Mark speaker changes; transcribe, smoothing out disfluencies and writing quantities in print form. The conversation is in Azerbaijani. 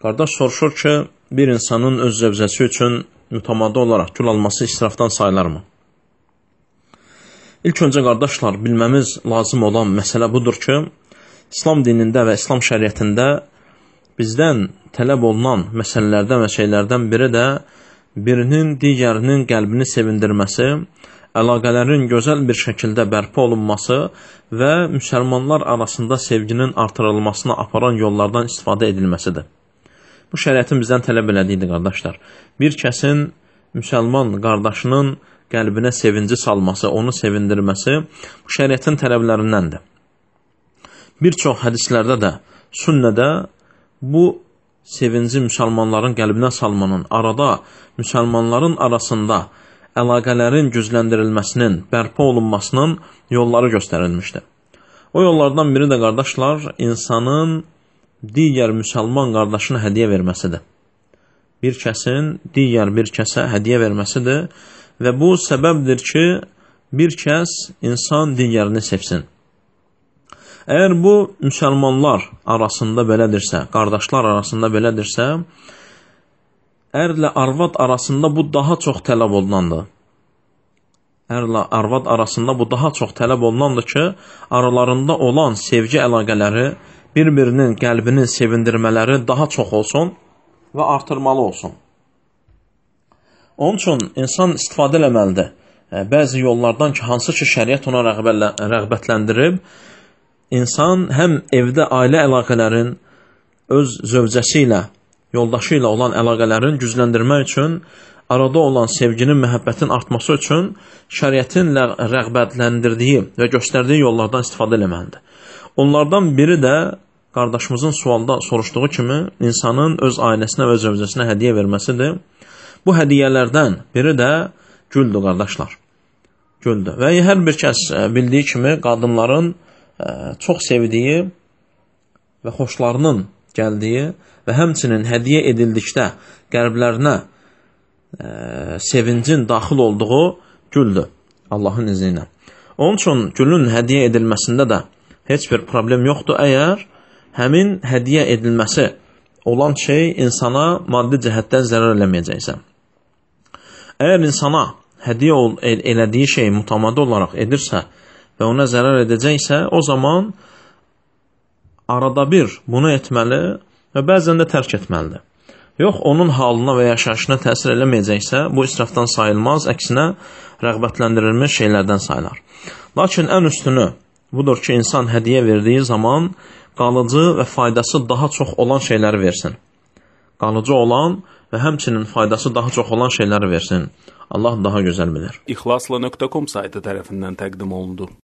Speaker 1: Qardaş soruşur ki, bir insanın öz zövcəsi üçün mütəmadi olaraq gül alması israfdan sayılarmı? İlk öncə qardaşlar, bilməmiz lazım olan məsələ budur ki, İslam dinində və İslam şəriətində bizdən tələb olunan məsələlərdən və şeylərdən biri də birinin digərinin qəlbini sevindirməsi, əlaqələrin gözəl bir şəkildə bərpa olunması və müsəlmanlar arasında sevginin artırılmasına aparan yollardan istifadə edilməsidir. Bu şəriətin bizdən tələb elədiyidir, qardaşlar. Bir kəsin müsəlman qardaşının qəlbinə sevinci salması, onu sevindirməsi bu şəriətin tələblərindəndir. Bir çox hədislərdə də, sünnədə bu sevinci müsəlmanların qəlbinə salmanın, arada müsəlmanların arasında əlaqələrin gücləndirilməsinin, bərpa olunmasının yolları göstərilmişdir. O yollardan biri də, qardaşlar, insanın digər müsəlman qardaşına hədiyyə verməsidir. Bir kəsin digər bir kəsə hədiyyə verməsidir və bu səbəbdir ki, bir kəs insan digərini sevsin. Əgər bu müsəlmanlar arasında belədirsə, qardaşlar arasında belədirsə, ərlə arvad arasında bu daha çox tələb olunandır. Ərlə arvad arasında bu daha çox tələb olunandır ki, aralarında olan sevgi əlaqələri, bir-birinin qəlbini sevindirmələri daha çox olsun və artırmalı olsun. Onun üçün insan istifadə eləməlidir. Bəzi yollardan ki, hansı ki şəriət ona rəğbətləndirib, insan həm evdə ailə əlaqələrin, öz zövcəsi ilə, yoldaşı ilə olan əlaqələrin gücləndirmək üçün, arada olan sevginin, məhəbbətin artması üçün şəriətin rəğbətləndirdiyi və göstərdiyi yollardan istifadə eləməlidir. Onlardan biri də qardaşımızın sualda soruşduğu kimi insanın öz ailəsinə və öz zövcəsinə hədiyyə verməsidir. Bu hədiyyələrdən biri də güldür, qardaşlar. Güldür. Və hər bir kəs bildiyi kimi qadınların çox sevdiyi və xoşlarının gəldiyi və həmçinin hədiyyə edildikdə qəlblərinə sevincin daxil olduğu güldür, Allahın izni ilə. Onun üçün gülün hədiyyə edilməsində də heç bir problem yoxdur, əgər həmin hədiyyə edilməsi olan şey insana maddi cəhətdən zərər eləməyəcəksə. Əgər insana hədiyyə elədiyi şey mütəmadi olaraq edirsə və ona zərər edəcəksə, o zaman arada bir bunu etməli və bəzən də tərk etməlidir. Yox, onun halına və yaşayışına təsir eləməyəcəksə, bu israfdan sayılmaz, əksinə rəğbətləndirilmiş şeylərdən sayılar. Lakin ən üstünü budur ki, insan hədiyyə verdiyi zaman qalıcı və faydası daha çox olan şeyləri versin. Qalıcı olan və həmçinin faydası daha çox olan şeyləri versin. Allah daha gözəl bilir.
Speaker 2: İxlasla.com saytı tərəfindən təqdim olundu.